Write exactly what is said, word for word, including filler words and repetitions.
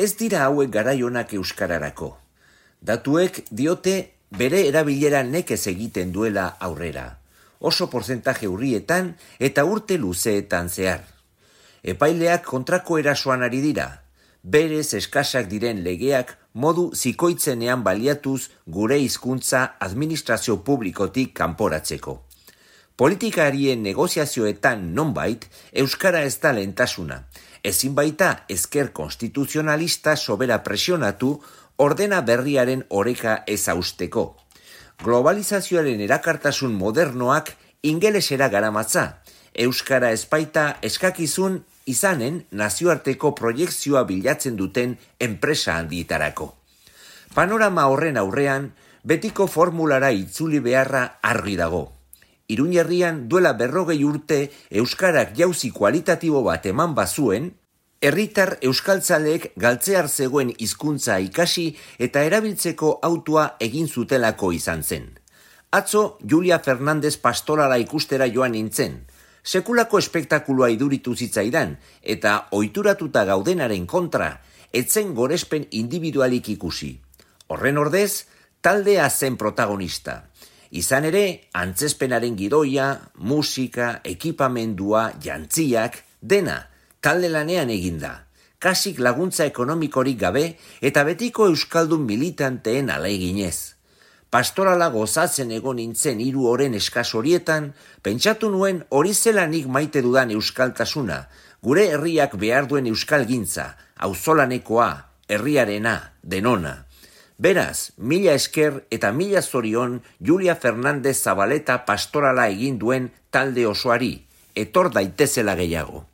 Ez dira hauek garaionak euskararako. Datuek diote bere erabilera nekez egiten duela aurrera. Oso portzentaje urrietan eta urte luzeetan zehar. Epaileak kontrako erasoan ari dira. Berez eskasak diren legeak modu zikoitzenean baliatuz gure hizkuntza administrazio publikotik kanporatzeko. Politikarien negoziazioetan nonbait, euskara ez da lehentasuna. Ezin baita ezker konstituzionalista sobera presionatu ordena berriaren oreka ez hausteko. Globalizazioaren erakartasun modernoak ingelesera garamatza. Euskara ez baita eskakizun izanen nazioarteko proiekzioa bilatzen duten enpresa handietarako. Panorama horren aurrean, betiko formulara itzuli beharra argi dago. Iruñerrian duela berrogei urte euskarak jauzi kualitatibo bat eman bazuen, herritar euskaltzaleek galtzear zegoen hizkuntza ikasi eta erabiltzeko autua egin zutelako izan zen. Atzo Julia Fernandez pastorala ikustera joan nintzen. Sekulako espektakuloa iduritu zitzaidan eta ohituratuta gaudenaren kontra, etzen gorespen individualik ikusi. Horren ordez, taldea zen protagonista. Izan ere, antzezpenaren gidoia, musika, ekipamendua, jantziak, dena, talde lanean eginda. Kasik laguntza ekonomikorik gabe eta betiko euskaldun militanteen aleginez. Pastorala gozatzen egon nintzen hiru oren eskas horietan, pentsatu nuen hori zelanik maite dudan euskaltasuna, gure herriak behar duen euskalgintza, auzolanekoa, herriarena, denona. Beraz, mila esker eta mila zorion Julia Fernandez Zabaleta pastorala egin duen talde osoari, etor daitezela gehiago.